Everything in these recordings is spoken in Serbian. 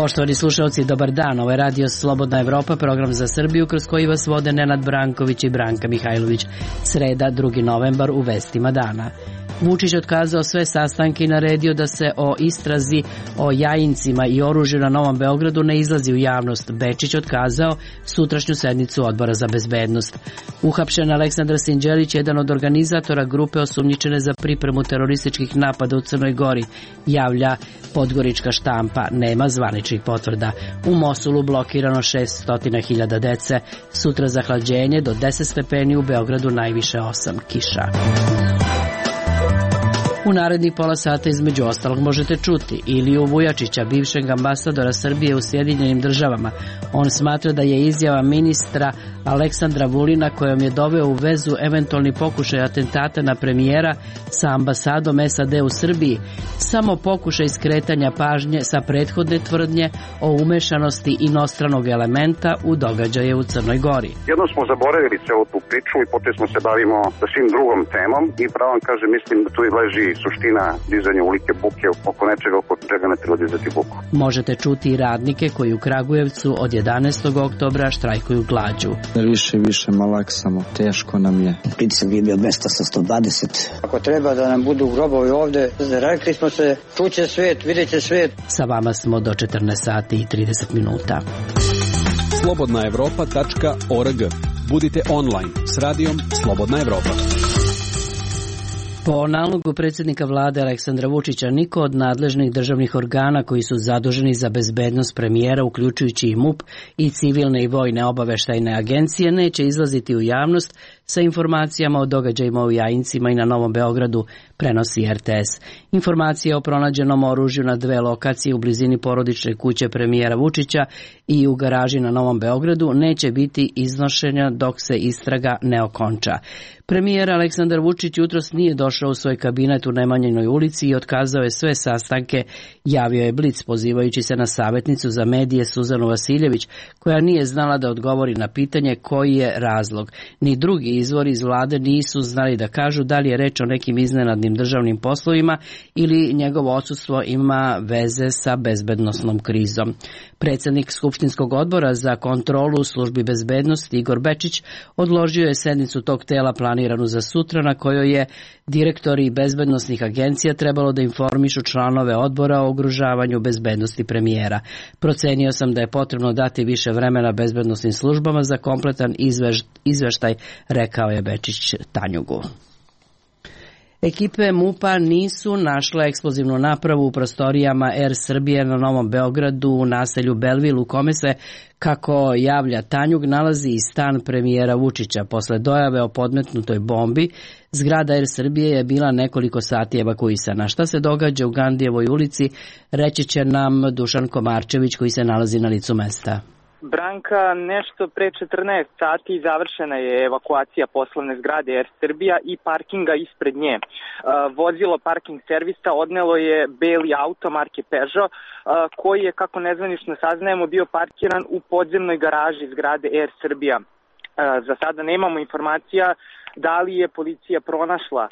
Poštovani slušalci, dobar dan. Ovo je Radio Slobodna Evropa, program za Srbiju kroz koji vas vode Nenad Branković i Branka Mihajlović. Sreda, 2. novembar, u vestima dana. Vučić otkazao sve sastanke i naredio da se o istrazi o Jajincima i oružju na Novom Beogradu ne izlazi u javnost. Bečić otkazao sutrašnju sednicu Odbora za bezbednost. Uhapšen Aleksandar Sinđelić, jedan od organizatora grupe osumnjičene za pripremu terorističkih napada u Crnoj Gori, javlja Podgorička štampa. Nema zvaničnih potvrda. U Mosulu blokirano 600.000 dece. Sutra zahlađenje do 10 stepeni, u Beogradu najviše 8, kiša. U narednih pola sata između ostalog možete čuti Iliju Vujačića, bivšeg ambasadora Srbije u Sjedinjenim državama. On smatra da je izjava ministra Aleksandra Vulina kojom je doveo u vezu eventualni pokušaj atentata na premijera sa ambasadom SAD u Srbiji samo pokušaj skretanja pažnje sa prethodne tvrdnje o umešanosti inostranog elementa u događaje u Crnoj Gori. Jedno smo zaboravili celu tu priču i potom smo se bavimo sa svim drugom temom i pravo vam kažem, mislim da tu i leži suština dizanja ulike buke oko nečega oko čega ne treba dizati buku. Možete čuti i radnike koji u Kragujevcu od 11. oktobra štrajkuju glađu. Više malaksamo, teško nam je. Pritisak je bio 200 sa 120. Ako treba da nam budu grobovi ovde, rekli smo se, čuće svijet, vidjet će svijet. Sa vama smo do 14 sati i 30 minuta. slobodnaevropa.org. Budite online s radijom Slobodna Evropa. Po nalogu predsjednika vlade Aleksandra Vučića, niko od nadležnih državnih organa koji su zaduženi za bezbednost premijera, uključujući i MUP i civilne i vojne obaveštajne agencije, neće izlaziti u javnost sa informacijama o događajima u Jajincima i na Novom Beogradu, prenosi RTS. Informacije o pronađenom oružju na 2 lokacije u blizini porodične kuće premijera Vučića i u garaži na Novom Beogradu neće biti iznošenja dok se istraga ne okonča. Premijer Aleksandar Vučić jutros nije došao u svoj kabinet u Nemanjinoj ulici i otkazao je sve sastanke, javio je Blic pozivajući se na savjetnicu za medije Suzanu Vasiljević, koja nije znala da odgovori na pitanje koji je razlog. Ni drugi izvori iz vlade nisu znali da kažu da li je reč o nekim iznenadnim državnim poslovima ili njegovo odsustvo ima veze sa bezbednosnom krizom. Predsjednik Skupštinskog odbora za kontrolu službi bezbednosti Igor Bečić odložio je sednicu tog tela planiranu za sutra, na kojoj je direktori bezbednosnih agencija trebalo da informišu članove odbora o ugrožavanju bezbednosti premijera. Procenio sam da je potrebno dati više vremena bezbednosnim službama za kompletan izveštaj, rekao je Bečić Tanjugu. Ekipe MUP-a nisu našle eksplozivnu napravu u prostorijama Air Srbije na Novom Beogradu u naselju Belville, u kome se, kako javlja Tanjug, nalazi i stan premijera Vučića. Posle dojave o podmetnutoj bombi, zgrada Air Srbije je bila nekoliko sati evakuisana. Šta se događa u Gandijevoj ulici, reći će nam Dušan Komarčević, koji se nalazi na licu mesta. Branka, nešto pre 14 sati završena je evakuacija poslovne zgrade Air Srbija i parkinga ispred nje. Vozilo parking servisa odnelo je beli auto marke Peugeot, koji je, kako nezvanično saznajemo, bio parkiran u podzemnoj garaži zgrade Air Srbija. Za sada nemamo informacija da li je policija pronašla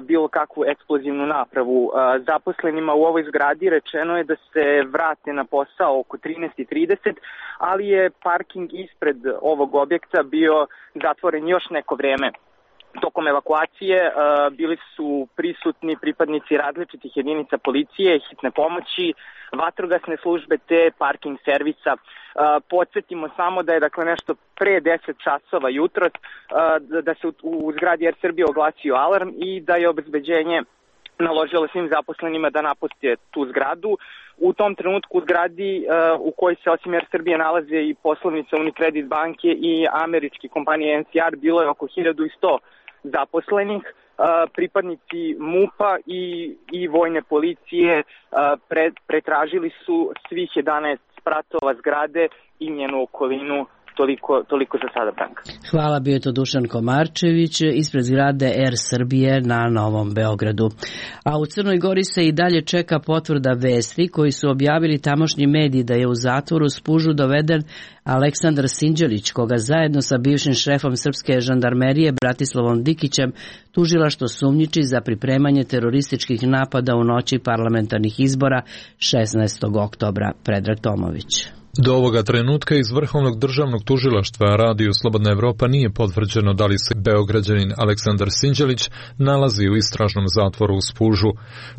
bilo kakvu eksplozivnu napravu. Zaposlenima u ovoj zgradi rečeno je da se vrate na posao oko 13:30, ali je parking ispred ovog objekta bio zatvoren još neko vreme. Tokom evakuacije bili su prisutni pripadnici različitih jedinica policije, hitne pomoći, vatrogasne službe te parking servisa. Podsjetimo samo da je nešto pre 10 časova jutros da se u zgradi Air Srbije oglasio alarm i da je obezbeđenje naložilo svim zaposlenima da napuste tu zgradu. U tom trenutku u zgradi u kojoj se osim Air Srbije nalaze i poslovnica Unicredit banke i američke kompanije NCR bilo je oko 1100 zaposlenih. Pripadnici MUP-a i vojne policije pretražili su svih 11 spratova zgrade i njenu okolinu toliko za sada, Branka. Hvala, bio je to Dušan Komarčević ispred zgrade Air Srbije na Novom Beogradu. A u Crnoj Gori se i dalje čeka potvrda vesti koji su objavili tamošnji mediji da je u zatvoru Spužu doveden Aleksandar Sinđelić, koga zajedno sa bivšim šefom srpske žandarmerije Bratislavom Dikićem tužilaštvo sumnjiči za pripremanje terorističkih napada u noći parlamentarnih izbora 16. oktobra. Predrag Tomović. Do ovoga trenutka iz Vrhovnog državnog tužilaštva Radio Slobodna Evropa nije potvrđeno da li se Beograđanin Aleksandar Sinđelić nalazi u istražnom zatvoru u Spužu.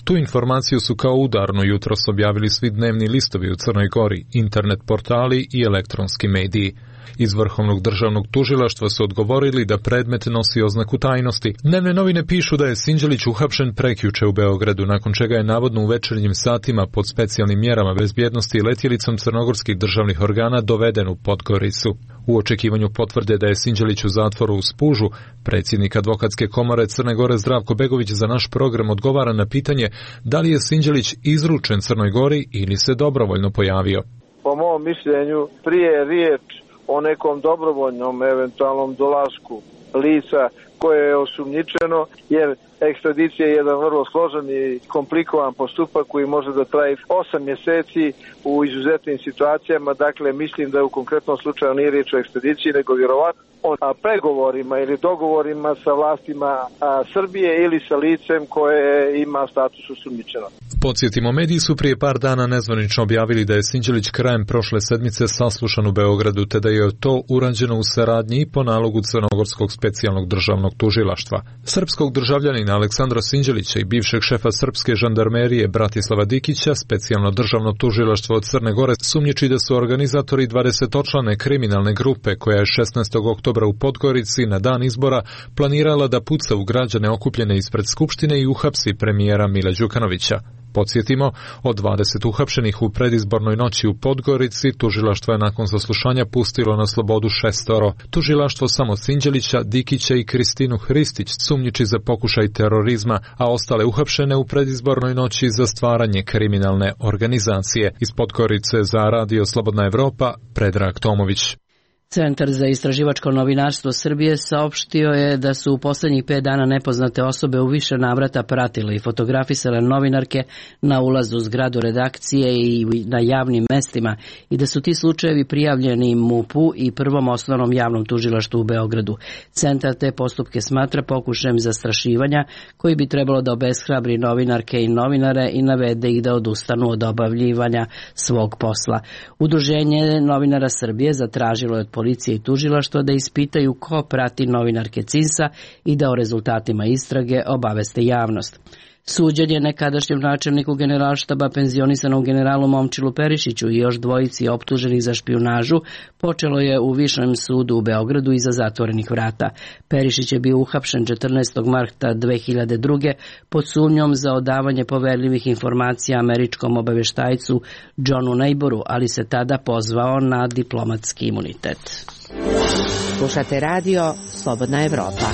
Tu informaciju su kao udarno jutros objavili svi dnevni listovi u Crnoj Gori, internet portali i elektronski mediji. Iz Vrhovnog državnog tužilaštva su odgovorili da predmet nosi oznaku tajnosti. Dnevne novine pišu da je Sinđelić uhapšen prekjuče u Beogradu, nakon čega je navodno u večernjim satima pod specijalnim mjerama bezbjednosti letjelicom crnogorskih državnih organa doveden u Podgoricu. U očekivanju potvrde da je Sinđelić u zatvoru u Spužu, predsjednik Advokatske komore Crne Gore Zdravko Begović za naš program odgovara na pitanje da li je Sinđelić izručen Crnoj Gori ili se dobrovoljno pojavio. Po mom mišljenju, prije riječ o nekom dobrovoljnom eventualnom dolasku lica koje je osumnjičeno, jer ekstradicija je jedan vrlo složen i komplikovan postupak koji može da traje 8 mjeseci u izuzetnim situacijama. Dakle, mislim da u konkretnom slučaju nije riječ o ekstradiciji, nego vjerovatno o pregovorima ili dogovorima sa vlastima Srbije ili sa licem koje ima status osumnjičenog. Podsjetimo, mediji su prije par dana nezvanično objavili da je Sinđelić krajem prošle sedmice saslušan u Beogradu, te da je to urađeno u saradnji i po nalogu Crnogorskog specijalnog državnog tužilaštva. Srpskog državljanina Aleksandra Sinđelića i bivšeg šefa srpske žandarmerije Bratislava Dikića specijalno državno tužilaštvo od Crne Gore sumnjiči da su organizatori 20-člane kriminalne grupe koja je 16. oktobra u Podgorici na dan izbora planirala da puca u građane okupljene ispred Skupštine i uhapsi premijera Mila Đukanovića. Podsjetimo, od 20 uhapšenih u predizbornoj noći u Podgorici, tužilaštvo je nakon saslušanja pustilo na slobodu 6. Tužilaštvo samo Sinđelića, Dikića i Kristinu Hristić sumnjiči za pokušaj terorizma, a ostale uhapšene u predizbornoj noći za stvaranje kriminalne organizacije. Iz Podgorice za Radio Slobodna Evropa, Predrag Tomović. Centar za istraživačko novinarstvo Srbije saopštio je da su u posljednjih 5 dana nepoznate osobe u više navrata pratile i fotografisale novinarke na ulazu u zgradu redakcije i na javnim mestima i da su ti slučajevi prijavljeni MUP-u i Prvom osnovnom javnom tužilaštvu u Beogradu. Centar te postupke smatra pokušajem zastrašivanja koji bi trebalo da obeshrabri novinarke i novinare i navede ih da odustanu od obavljivanja svog posla. Udruženje novinara Srbije zatražilo je od policije i tužilaštva da ispitaju ko prati novinarke CINS-a i da o rezultatima istrage obaveste javnost. Suđenje nekadašnjem načelniku Generalštaba penzionisanom generalu Momčilu Perišiću i još dvojici optuženih za špijunažu počelo je u Višem sudu u Beogradu iza zatvorenih vrata. Perišić je bio uhapšen 14. marta 2002. pod sumnjom za odavanje poverljivih informacija američkom obaveštajcu Johnu Neighboru, ali se tada pozvao na diplomatski imunitet. Slušate radio Slobodna Evropa.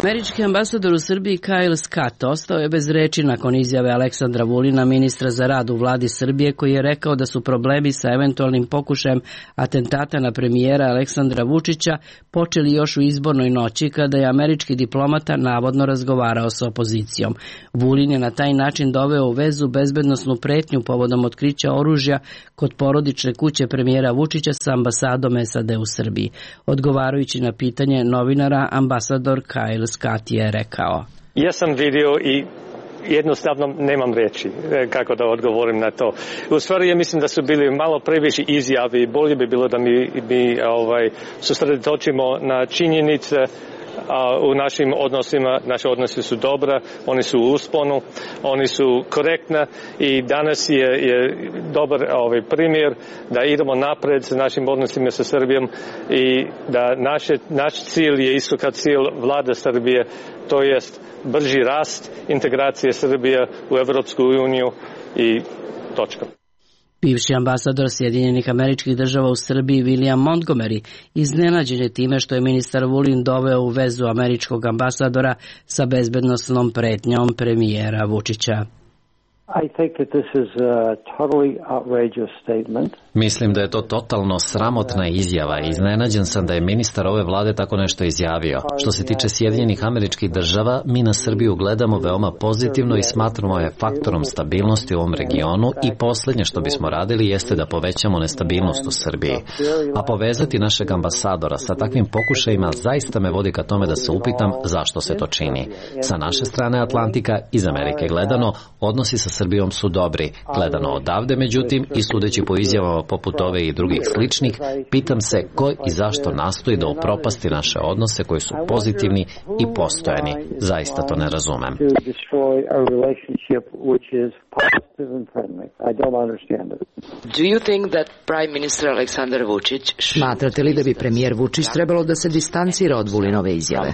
Američki ambasador u Srbiji Kyle Scott ostao je bez reči nakon izjave Aleksandra Vulina, ministra za rad u vladi Srbije, koji je rekao da su problemi sa eventualnim pokušajem atentata na premijera Aleksandra Vučića počeli još u izbornoj noći kada je američki diplomata navodno razgovarao sa opozicijom. Vulin je na taj način doveo u vezu bezbednosnu pretnju povodom otkrića oružja kod porodične kuće premijera Vučića sa ambasadom SAD u Srbiji. Odgovarajući na pitanje novinara, ambasador Kyle Scott je rekao: Ja sam vidio i jednostavno nemam reći kako da odgovorim na to. U stvari ja mislim da su bili malo previše izjavi. Bolje bi bilo da mi susredotočimo na činjenice u našim odnosima. Naši odnosi su dobra, oni su u usponu, oni su korektni i danas je dobar primjer da idemo napred sa našim odnosima sa Srbijom i da naš cilj je isto kao cilj vlade Srbije, to jest brži rast, integracije Srbije u Evropsku uniju i točka. Bivši ambasador Sjedinjenih Američkih Država u Srbiji William Montgomery iznenađen je time što je ministar Vulin doveo u vezu američkog ambasadora sa bezbednosnom pretnjom premijera Vučića. I think that this is a totally outrageous statement. Mislim da je to totalno sramotna izjava i iznenađen sam da je ministar ove vlade tako nešto izjavio. Što se tiče Sjedinjenih Američkih Država, mi na Srbiju gledamo veoma pozitivno i smatramo je faktorom stabilnosti u ovom regionu i poslednje što bismo radili jeste da povećamo nestabilnost u Srbiji. A povezati našeg ambasadora sa takvim pokušajima zaista me vodi ka tome da se upitam zašto se to čini. Sa naše strane Atlantika, iz Amerike gledano, odnosi sa Srbijom su dobri. Gledano odavde, međutim, i sudeći po izjavama poput ove i drugih sličnih, pitam se ko i zašto nastoji da upropasti naše odnose koji su pozitivni i postojani. Zaista to ne razumem. Smatrate li da bi premijer Vučić trebalo da se distancira od Vulinove izjave?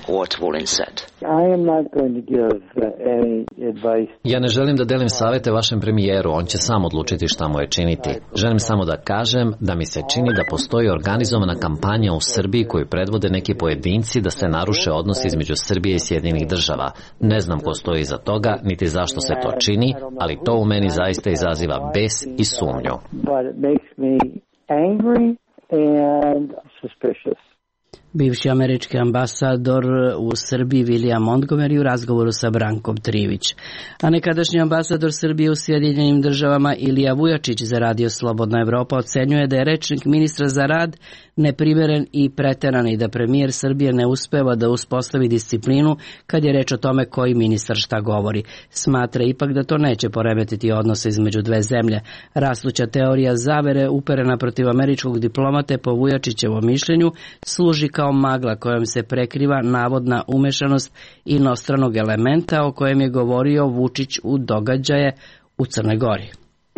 Ja ne želim da delim savete vašem premijeru, on će sam odlučiti šta mu je činiti. Želim samo da kažem da mi se čini da postoji organizovana kampanja u Srbiji koju predvode neki pojedinci da se naruše odnosi između Srbije i Sjedinjenih Država. Ne znam ko stoji iza toga, niti zašto se to čini, ali to u meni zaista izaziva bes i sumnju. Bivši američki ambasador u Srbiji William Montgomery u razgovoru sa Brankom Trivić. A nekadašnji ambasador Srbije u Sjedinjenim Državama Ilija Vujačić za Radio Slobodna Evropa ocenjuje da je rečnik ministra za rad neprimeren i preteran i da premijer Srbije ne uspeva da uspostavi disciplinu kad je reč o tome koji ministar šta govori. Smatra ipak da to neće poremetiti odnose između dve zemlje. Rastuća teorija zavere uperena protiv američkog diplomate po Vujačićevom mišljenju služi kao magla kojom se prekriva navodna umešanost inostranog elementa o kojem je govorio Vučić u događaje u Crnoj Gori.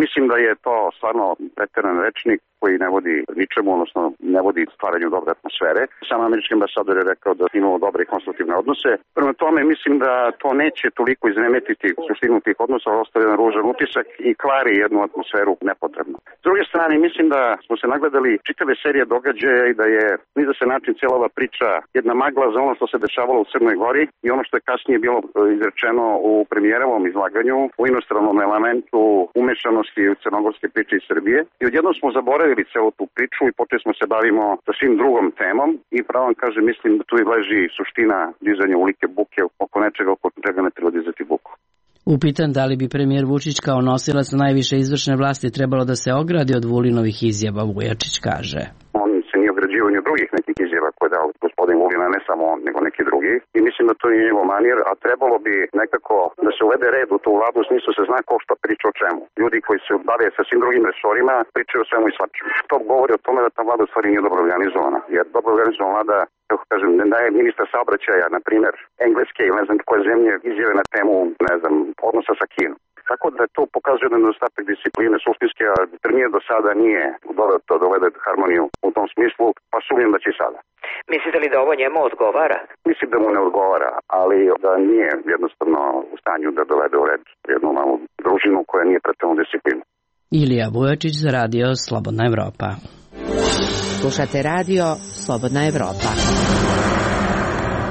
Mislim da je to stvarno preteran rečnik koji ne vodi ničemu, odnosno ne vodi stvaranju dobre atmosfere. Sam američki ambasador je rekao da imamo dobre i konstruktivne odnose. Prema tome mislim da to neće toliko izremetiti suštinu tih odnosa, ostaje jedan ružan utisak i kvari jednu atmosferu nepotrebno. S druge strane mislim da smo se nagledali čitave serije događaja i da je ni za se način cijela ova priča jedna magla za ono što se dešavalo u Crnoj Gori i ono što je kasnije bilo izrečeno u premijerovom izlaganju, u inostranom elementu umešanosti u crnogorske priče iz Srbije. I odjednom smo zaboravili celu tu priču i počeli smo se bavimo sa svim drugom temom i pravo vam kažem, mislim da tu i leži suština dizanja ulike buke oko nečega oko čega ne treba dizati buku. Upitan da li bi premijer Vučić kao nosilac najviše izvršne vlasti trebalo da se ogradi od Vulinovih izjava, Vujačić kaže. On se nije ograđivao ni od drugih nekih izjava koje je dao gospodin Vulina, ne samo on, nego neki drugi. I mislim da to je njegov manir, a trebalo bi nekako da se uvede red u tu vladu, u smislu se zna ko šta priča o čemu. Ljudi koji se bave sa svim drugim resorima pričaju o svemu i svačemu. To govori o tome da ta vlada u stvari nije dobro organizovana. Jer dobro organizovana vlada, kako kažem, ne daje ministra saobraćaja, na primjer, engleske ili ne znam koje zemlje izjave na temu, ne znam, odnosa sa Kinom. Tako da to pokazuje da nedostatak discipline suštinske, a premijer do sada nije doveo to dovede harmoniju u tom smislu, pa sumnjam da će i sada. Mislite li da ovo njemu odgovara? Mislim da mu ne odgovara, ali da nije jednostavno u stanju da dovede u red jednu malu družinu koja nije pretredno disciplinu. Ilija Vujačić za Radio Slobodna Evropa. Slušate Radio Slobodna Evropa.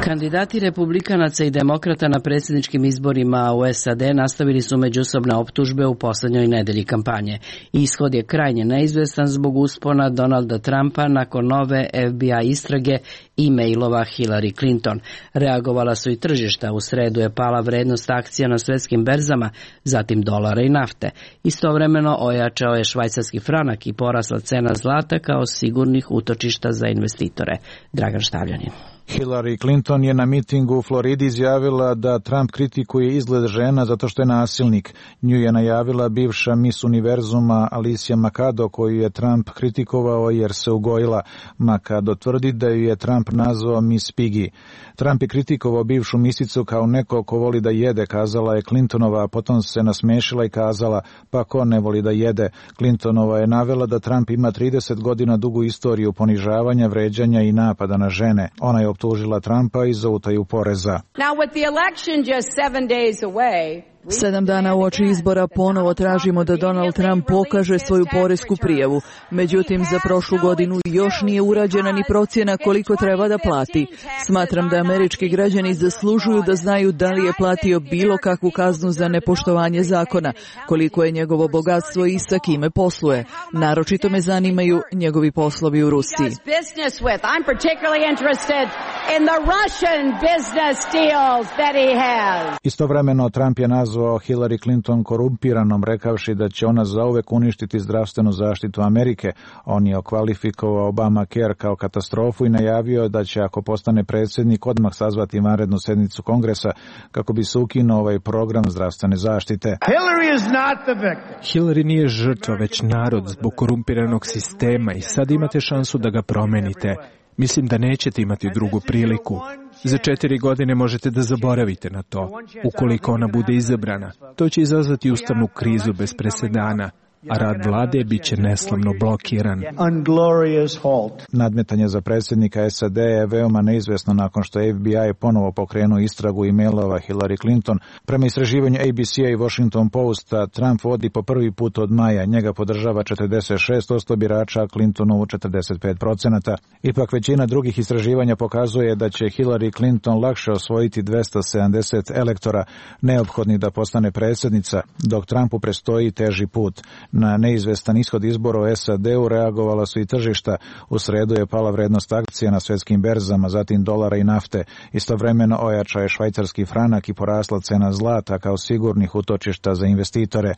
Kandidati republikanaca i demokrata na predsjedničkim izborima u SAD nastavili su međusobne optužbe u poslednjoj nedelji kampanje. Ishod je krajnje neizvestan zbog uspona Donalda Trumpa nakon nove FBI istrage i mailova Hillary Clinton. Reagovala su i tržišta. U sredu je pala vrednost akcija na svetskim berzama, zatim dolara i nafte. Istovremeno ojačao je švajcarski franak i porasla cena zlata kao sigurnih utočišta za investitore. Dragan Štavljanin. Hillary Clinton je na mitingu u Floridi izjavila da Trump kritikuje izgled žena zato što je nasilnik. Nju je najavila bivša Miss Univerzuma Alicia Makado, koju je Trump kritikovao jer se ugojila. Makado tvrdi da ju je Trump nazvao Miss Piggy. Trump je kritikovao bivšu misicu kao neko ko voli da jede, kazala je Clintonova, a potom se nasmešila i kazala pa ko ne voli da jede. Clintonova je navela da Trump ima 30 godina dugu istoriju ponižavanja, vređanja i napada na žene. Ona je optužila Trumpa i za utaju poreza. Now with the election just 7 days away, 7 dana uoči izbora ponovo tražimo da Donald Trump pokaže svoju poresku prijavu. Međutim, za prošlu godinu još nije urađena ni procjena koliko treba da plati. Smatram da američki građani zaslužuju da znaju da li je platio bilo kakvu kaznu za nepoštovanje zakona, koliko je njegovo bogatstvo i sa kime posluje. Naročito me zanimaju njegovi poslovi u Rusiji. Istovremeno Trump je nazvao Hillary Clinton korumpiranom, rekavši da će ona zauvek uništiti zdravstvenu zaštitu Amerike. On je okvalifikovao Obamacare kao katastrofu i najavio da će, ako postane predsjednik, odmah sazvati vanrednu sednicu Kongresa kako bi se ukinuo ovaj program zdravstvene zaštite. Hillary nije žrtva, već narod zbog korumpiranog sistema i sad imate šansu da ga promenite. Mislim da nećete imati drugu priliku. Za 4 godine možete da zaboravite na to. Ukoliko ona bude izabrana, to će izazvati ustavnu krizu bez presedana, a rad vlade bit će neslavno blokiran. Nadmetanje za predsjednika SAD je veoma neizvesno nakon što FBI ponovo pokrenuo istragu e-mailova Hillary Clinton. Prema istraživanju ABC-a i Washington Posta, Trump vodi po prvi put od maja. Njega podržava 46% birača, a Clintonovu 45%. Ipak većina drugih istraživanja pokazuje da će Hillary Clinton lakše osvojiti 270 elektora neophodnih da postane predsjednica, dok Trumpu prestoji teži put. Na neizvestan ishod izbora u SAD-u reagovala su i tržišta. U sredu je pala vrednost akcija na svjetskim berzama, zatim dolara i nafte. Istovremeno ojačao je švajcarski franak i porasla cena zlata kao sigurnih utočišta za investitore.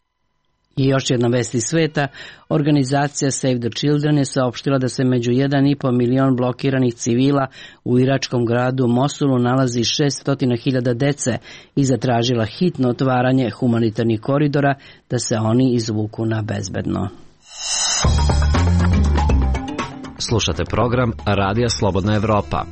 I još jedna vest iz sveta, organizacija Save the Children je saopštila da se među 1,5 milion blokiranih civila u iračkom gradu Mosulu nalazi 600.000 dece i zatražila hitno otvaranje humanitarnih koridora da se oni izvuku na bezbedno. Slušate program Radija Slobodna Evropa.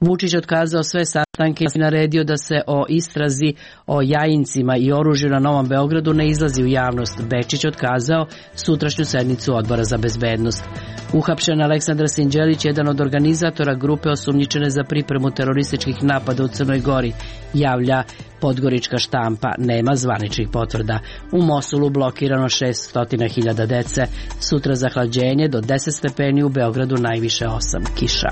Vučić otkazao sve sastanke i naredio da se o istrazi o Jajincima i oružju na Novom Beogradu ne izlazi u javnost. Bečić otkazao sutrašnju sednicu Odbora za bezbednost. Uhapšen Aleksandar Sinđelić, jedan od organizatora grupe osumnjičene za pripremu terorističkih napada u Crnoj Gori, javlja Podgorička štampa, nema zvaničnih potvrda. U Mosulu blokirano 600.000 dece. Sutra zahlađenje do 10 stepeni, u Beogradu najviše 8, kiša.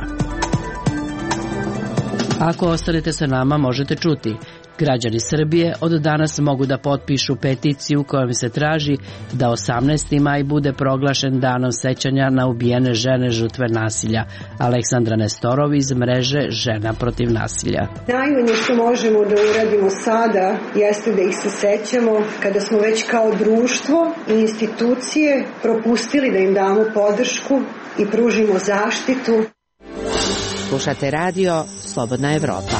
Ako ostanete sa nama, možete čuti. Građani Srbije od danas mogu da potpišu peticiju kojom se traži da 18. maj bude proglašen danom sećanja na ubijene žene žrtve nasilja. Aleksandra Nestorov iz mreže Žena protiv nasilja. Najmanje što možemo da uradimo sada jeste da ih se sećamo kada smo već kao društvo i institucije propustili da im damo podršku i pružimo zaštitu. Slušate radio Slobodna Evropa.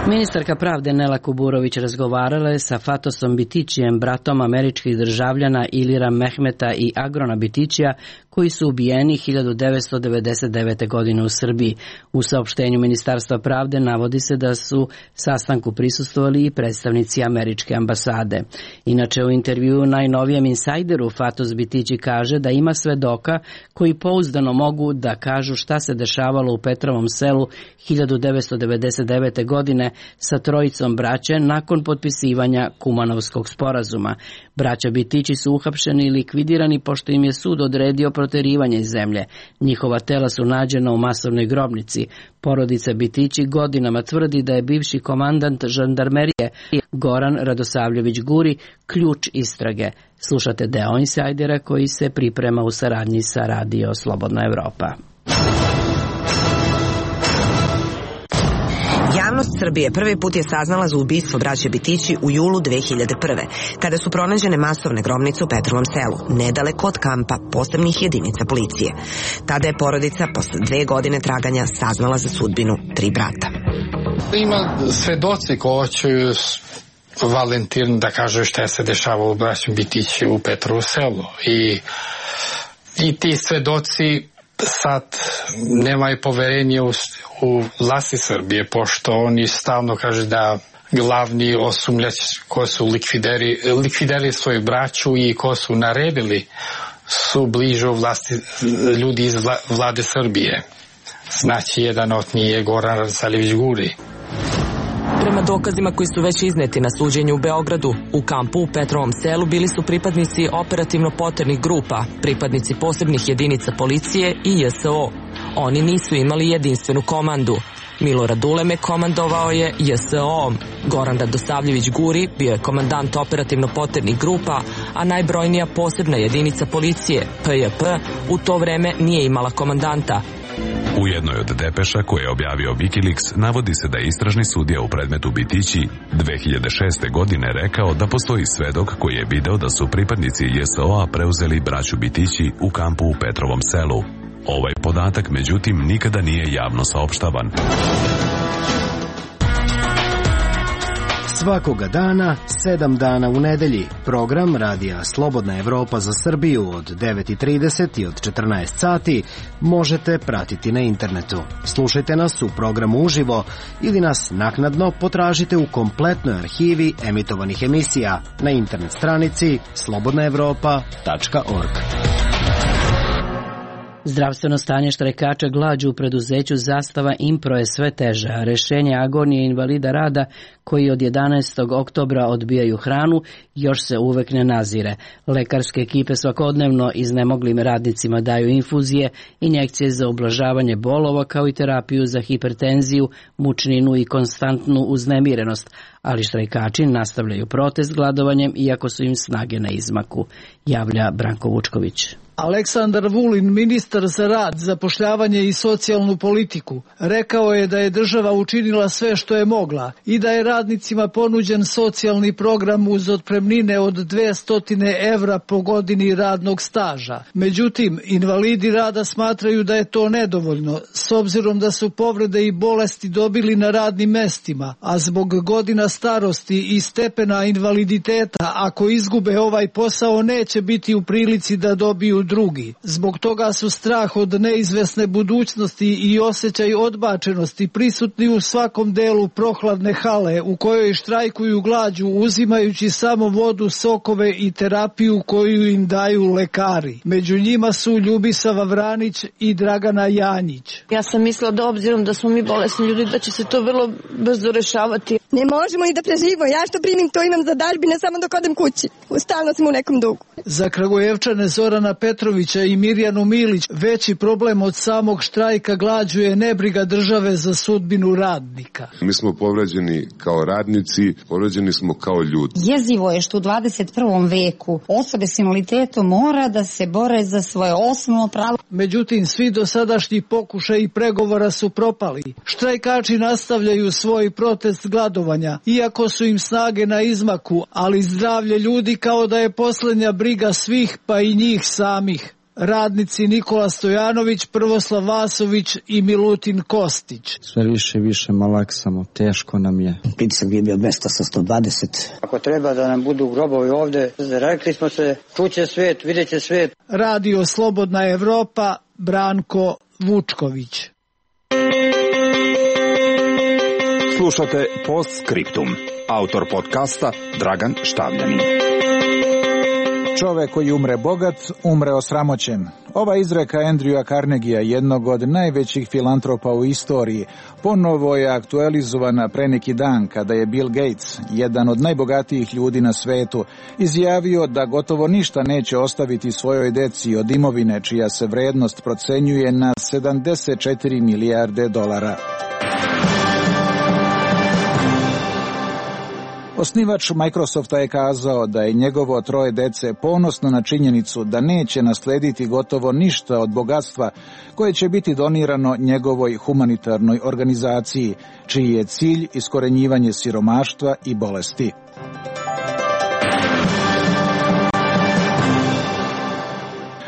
Ministarka pravde Nela Kuburović razgovarala je sa Fatosom Bitićijem, bratom američkih državljana Ilira Mehmeta i Agrona Bitićija, koji su ubijeni 1999. godine u Srbiji. U saopštenju Ministarstva pravde navodi se da su sastanku prisustvovali i predstavnici američke ambasade. Inače, u intervjuu najnovijem Insajderu Fatos Bitići kaže da ima svedoka koji pouzdano mogu da kažu šta se dešavalo u Petrovom selu 1999. godine sa trojicom braće nakon potpisivanja Kumanovskog sporazuma. Braća Bitići su uhapšeni i likvidirani pošto im je sud odredio proterivanje iz zemlje. Njihova tela su nađena u masovnoj grobnici. Porodica Bitići godinama tvrdi da je bivši komandant žandarmerije Goran Radosavljević Guri ključ istrage. Slušate deo Insajdera koji se priprema u saradnji sa Radio Slobodna Evropa. Javnost Srbije prvi put je saznala za ubistvo braće Bitići u julu 2001. kada su pronađene masovne grobnice u Petrovom selu, nedaleko od kampa posebnih jedinica policije. Tada je porodica posle 2 godine traganja saznala za sudbinu 3 brata. Ima svedoci ko će Valentin da kaže šta se dešava u braću Bitići u Petrovu selu. I ti svedoci sad nemaju poverenje u vlasti Srbije, pošto oni stalno kaže da glavni osumnjač ko su likvidirali svoju braću i ko su naredili su bliže vlasti ljudi iz vlade Srbije. Znači, jedan od njih je Goran Rasalivić Guri. Prema dokazima koji su već izneti na suđenju u Beogradu, u kampu u Petrovom Selu bili su pripadnici operativno poternih grupa, pripadnici posebnih jedinica policije i JSO. Oni nisu imali jedinstvenu komandu. Milorad Uleme komandovao je JSO-om. Goran Radosavljević Guri bio je komandant operativno poternih grupa, a najbrojnija posebna jedinica policije, PJP, u to vreme nije imala komandanta. U jednoj od depeša koje je objavio Wikileaks navodi se da je istražni sudija u predmetu Bitići 2006. godine rekao da postoji svedok koji je video da su pripadnici JSO-a preuzeli braću Bitići u kampu u Petrovom Selu. Ovaj podatak, međutim, nikada nije javno saopštavan. Svakoga dana, 7 dana u nedelji, program Radija Slobodna Evropa za Srbiju od 9:30 i od 14 sati možete pratiti na internetu. Slušajte nas u programu uživo ili nas naknadno potražite u kompletnoj arhivi emitovanih emisija na internet stranici slobodnaevropa.org. Zdravstveno stanje štrajkača glađu u preduzeću Zastava Impro je sve teže, a rešenje agonije invalida rada koji od 11. oktobra odbijaju hranu još se uvek ne nazire. Lekarske ekipe svakodnevno iznemoglim radnicima daju infuzije, injekcije za ublažavanje bolova kao i terapiju za hipertenziju, mučninu i konstantnu uznemirenost, ali štrajkači nastavljaju protest gladovanjem iako su im snage na izmaku, javlja Branko Vučković. Aleksandar Vulin, ministar za rad, zapošljavanje i socijalnu politiku, rekao je da je država učinila sve što je mogla i da je radnicima ponuđen socijalni program uz otpremnine od 200 evra po godini radnog staža. Međutim, invalidi rada smatraju da je to nedovoljno, s obzirom da su povrede i bolesti dobili na radnim mestima, a zbog godina starosti i stepena invaliditeta, ako izgube ovaj posao, neće biti u prilici da dobiju drugi. Zbog toga su strah od neizvesne budućnosti i osjećaj odbačenosti prisutni u svakom delu prohladne hale u kojoj štrajkuju glađu uzimajući samo vodu, sokove i terapiju koju im daju lekari. Među njima su Ljubisava Vranić i Dragana Janjić. Ja sam mislila da obzirom da smo mi bolesni ljudi da će se to vrlo brzo rešavati. Ne možemo ni da preživimo. Ja što primim to imam za dažbine samo dok odem kući. Stalno smo u nekom dugu. Za Kragujevčane Zorana Petrovića i Mirjanu Milić veći problem od samog štrajka glađu je nebriga države za sudbinu radnika. Mi smo povređeni kao radnici, povređeni smo kao ljudi. Jezivo je što u 21. veku osobe s invaliditetom mora da se bore za svoje osnovno pravo. Međutim, svi dosadašnji pokušaji pregovora su propali. Štrajkači nastavljaju svoj protest gladovanja, iako su im snage na izmaku, ali zdravlje ljudi kao da je posljednja briga svih, pa i njih samih. Radnici Nikola Stojanović, Prvoslav Vasović i Milutin Kostić. Sve više i više malaksamo, teško nam je. Pritisak je bio 200 sa 120. Ako treba da nam budu grobovi ovde, rekli smo se, čuće svijet, vidjet će svijet. Radio Slobodna Evropa, Branko Vučković. Slušate Postscriptum. Autor podcasta Dragan Štavljanin. Čovek koji umre bogat, umre osramoćen. Ova izreka Andrewa Carnegia, jednog od najvećih filantropa u istoriji, ponovo je aktualizovana pre neki dan kada je Bill Gates, jedan od najbogatijih ljudi na svetu, izjavio da gotovo ništa neće ostaviti svojoj deci od imovine čija se vrednost procenjuje na 74 milijarde dolara. Osnivač Microsofta je kazao da je njegovo 3 dece ponosno na činjenicu da neće naslediti gotovo ništa od bogatstva koje će biti donirano njegovoj humanitarnoj organizaciji, čiji je cilj iskorenjivanje siromaštva i bolesti.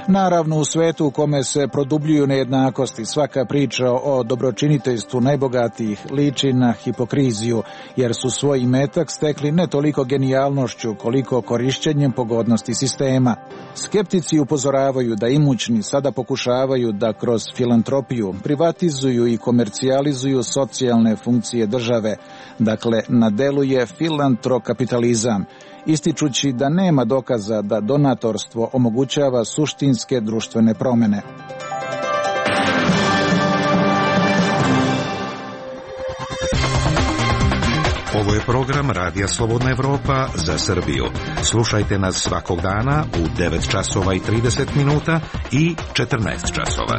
Naravno, u svetu u kome se produbljuju nejednakosti, svaka priča o dobročiniteljstvu najbogatijih liči na hipokriziju, jer su svoj imetak stekli ne toliko genijalnošću koliko korišćenjem pogodnosti sistema. Skeptici upozoravaju da imućni sada pokušavaju da kroz filantropiju privatizuju i komercijalizuju socijalne funkcije države. Dakle, na delu je filantrokapitalizam, ističući da nema dokaza da donatorstvo omogućava suštinske društvene promene. Ovo je program Radija Slobodna Evropa za Srbiju. Slušajte nas svakog dana u 9 časova i 30 minuta i 14 časova.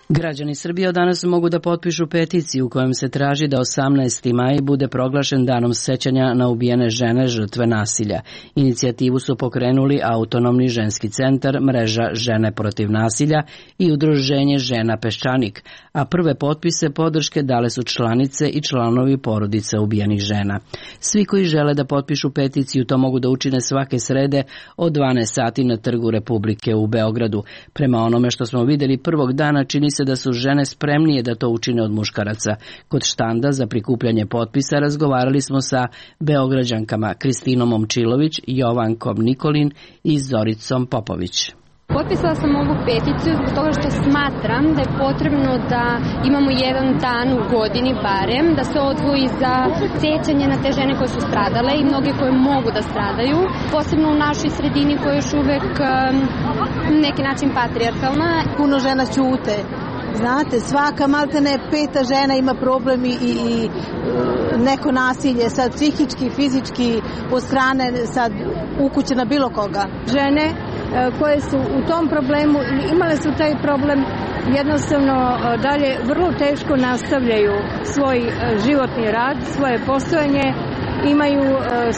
Građani Srbije od danas mogu da potpišu peticiju u kojem se traži da 18. maj bude proglašen danom sećanja na ubijene žene žrtve nasilja. Inicijativu su pokrenuli Autonomni ženski centar, Mreža žene protiv nasilja i Udruženje žena Peščanik, a prve potpise podrške dale su članice i članovi porodica ubijenih žena. Svi koji žele da potpišu peticiju to mogu da učine svake srede od 12 sati na Trgu Republike u Beogradu. Prema onome što smo videli prvog dana, čini se da su žene spremnije da to učine od muškaraca. Kod štanda za prikupljanje potpisa razgovarali smo sa Beograđankama Kristinom Momčilović, Jovankom Nikolin i Zoricom Popović. Potpisala sam ovu peticiju zbog toga što smatram da je potrebno da imamo jedan dan u godini barem, da se odvoji za sećanje na te žene koje su stradale i mnoge koje mogu da stradaju, posebno u našoj sredini koja je još uvek neki način patrijarhalna. Puno žena ćute. Znate, svaka maltene peta žena ima problem i neko nasilje, sad psihički, fizički, od strane sad ukuće na bilo koga. Žene koje su u tom problemu i imale su taj problem, jednostavno dalje vrlo teško nastavljaju svoj životni rad, svoje postojanje, imaju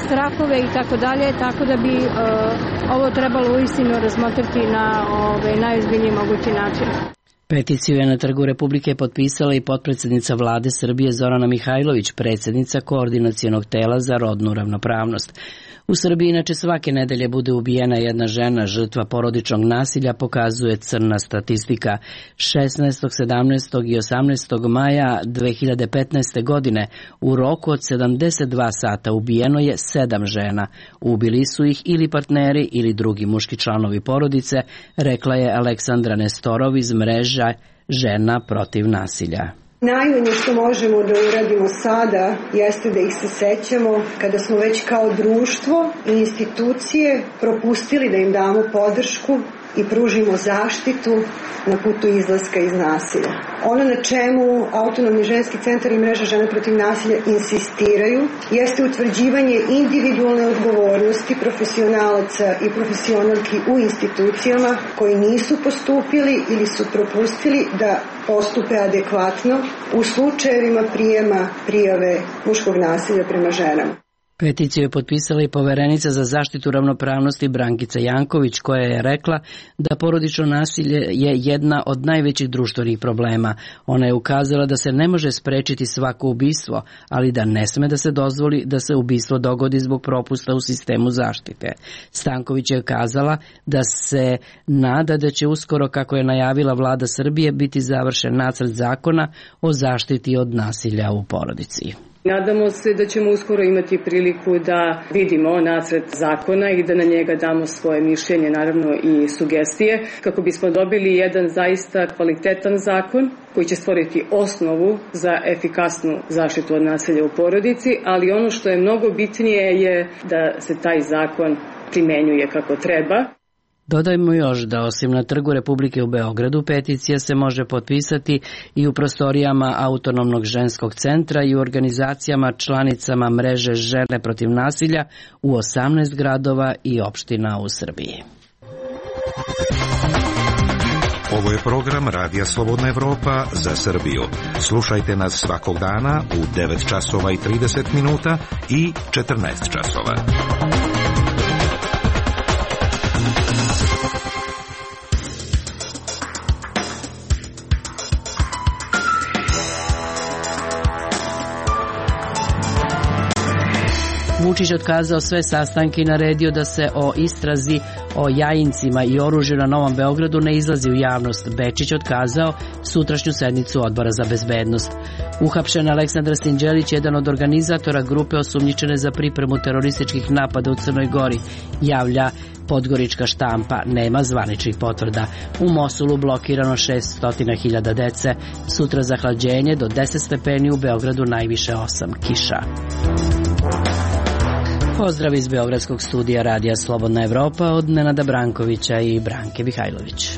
strahove i tako dalje, tako da bi ovo trebalo uistinu razmotriti na najozbiljniji mogući način. Peticiju je na Trgu Republike potpisala i potpredsednica vlade Srbije Zorana Mihajlović, predsjednica Koordinacionog tela za rodnu ravnopravnost. U Srbiji inače svake nedelje bude ubijena jedna žena, žrtva porodičnog nasilja, pokazuje crna statistika. 16., 17. i 18. maja 2015. godine u roku od 72 sata ubijeno je 7 žena. Ubili su ih ili partneri ili drugi muški članovi porodice, rekla je Aleksandra Nestorov iz Mreža žena protiv nasilja. Najmanje što možemo da uradimo sada jeste da ih se sećamo kada smo već kao društvo i institucije propustili da im damo podršku i pružimo zaštitu na putu izlaska iz nasilja. Ono na čemu Autonomni ženski centar i Mreža žena protiv nasilja insistiraju jeste utvrđivanje individualne odgovornosti profesionalaca i profesionalki u institucijama koji nisu postupili ili su propustili da postupe adekvatno u slučajevima prijema prijave muškog nasilja prema ženama. Peticiju je potpisala i poverenica za zaštitu ravnopravnosti Brankica Janković, koja je rekla da porodično nasilje je jedna od najvećih društvenih problema. Ona je ukazala da se ne može sprečiti svako ubistvo, ali da ne sme da se dozvoli da se ubistvo dogodi zbog propusta u sistemu zaštite. Stanković je kazala da se nada da će uskoro, kako je najavila vlada Srbije, biti završen nacrt zakona o zaštiti od nasilja u porodici. Nadamo se da ćemo uskoro imati priliku da vidimo nacrt zakona i da na njega damo svoje mišljenje, naravno i sugestije, kako bismo dobili jedan zaista kvalitetan zakon koji će stvoriti osnovu za efikasnu zaštitu od nasilja u porodici, ali ono što je mnogo bitnije je da se taj zakon primenjuje kako treba. Dodajmo još da osim na Trgu Republike u Beogradu, peticija se može potpisati i u prostorijama Autonomnog ženskog centra i u organizacijama članicama Mreže žene protiv nasilja u 18 gradova i opština u Srbiji. Ovo je program Radija Slobodna Evropa za Srbiju. Slušajte nas svakog dana u 9 časova i 30 minuta i 14 časova. Vučić otkazao sve sastanke i naredio da se o istrazi o Jajincima i oružju na Novom Beogradu ne izlazi u javnost. Bečić otkazao sutrašnju sednicu Odbora za bezbednost. Uhapšen Aleksandar Sinđelić, jedan od organizatora grupe osumnjičene za pripremu terorističkih napada u Crnoj Gori, javlja Podgorička štampa, nema zvaničnih potvrda. U Mosulu blokirano 600.000 dece. Sutra zahlađenje do 10 stepeni, u Beogradu najviše 8, kiša. Pozdrav iz Beogradskog studija Radija Slobodna Evropa od Nenada Brankovića i Branke Mihajlović.